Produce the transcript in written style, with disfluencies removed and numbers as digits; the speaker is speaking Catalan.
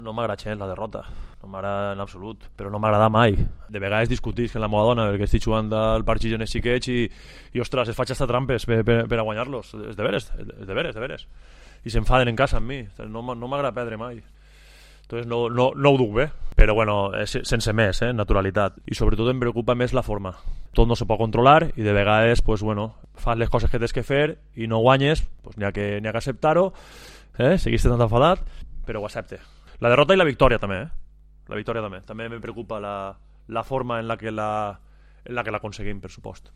No m'agrada gens la derrota, no m'agrada en absolut, però no m'agrada mai. De vegades discutisc amb la meva dona perquè estic jugant al partit en els xiquets i ostres, es faig hasta trampes per a guanyar-los. És de veres. I s'enfaden en casa amb mi. No m'agrada perdre mai. Entonces no ho duc bé, però bueno, sense més, naturalitat. I sobretot em preocupa més la forma. Tot no se pot controlar i de vegades pues, bueno, fas les coses que tens que fer i no guanyes, pues, n'hi ha que acceptar-ho, seguiste tan enfadat, però ho accepte. La derrota i la victòria també, La victòria també. També me preocupa la forma en la que l'aconseguim, per supost.